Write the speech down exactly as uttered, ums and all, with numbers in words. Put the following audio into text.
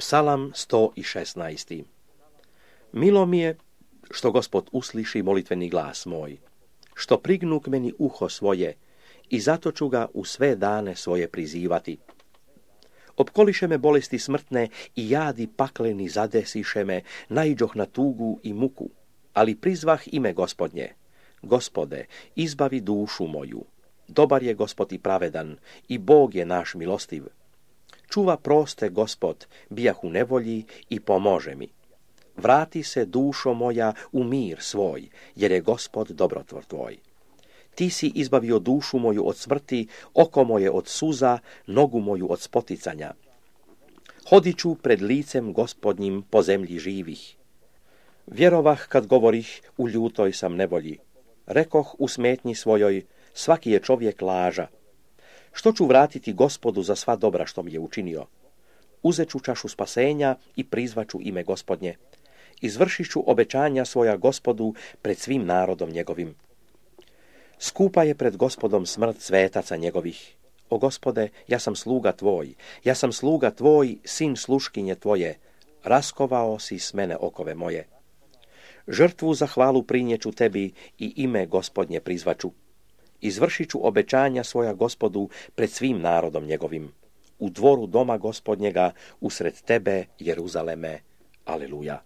Psalam sto šesnaest. Milo mi je što Gospod usliši molitveni glas moj, što prignu k meni uho svoje i zato ću ga u sve dane svoje prizivati. Opkoliše me bolesti smrtne i jadi pakleni zadesiše me, naiđoh na tugu i muku, ali prizvah ime Gospodnje. Gospode, izbavi dušu moju. Dobar je Gospod i pravedan, i Bog je naš milostiv. Čuva proste Gospod, bijah u nevolji i pomože mi. Vrati se, dušo moja, u mir svoj, jer je Gospod dobrotvor tvoj. Ti si izbavio dušu moju od smrti, oko moje od suza, nogu moju od spoticanja. Hodit ću pred licem Gospodnjim po zemlji živih. Vjerovah kad govorih, u ljutoj sam nevolji. Rekoh u smetnji svojoj, svaki je čovjek laža. Što ću vratiti Gospodu za sva dobra što mi je učinio? Uzet ću čašu spasenja i prizvaću ime Gospodnje. Izvršit ću obećanja svoja Gospodu pred svim narodom njegovim. Skupa je pred Gospodom smrt svetaca njegovih. O Gospode, ja sam sluga tvoj, ja sam sluga tvoj, sin sluškinje tvoje. Raskovao si s mene okove moje. Žrtvu za hvalu prinjeću tebi i ime Gospodnje prizvaću. Izvršit ću obećanja svoja Gospodu pred svim narodom njegovim. U dvoru doma Gospodnjega, usred tebe, Jeruzaleme. Aleluja.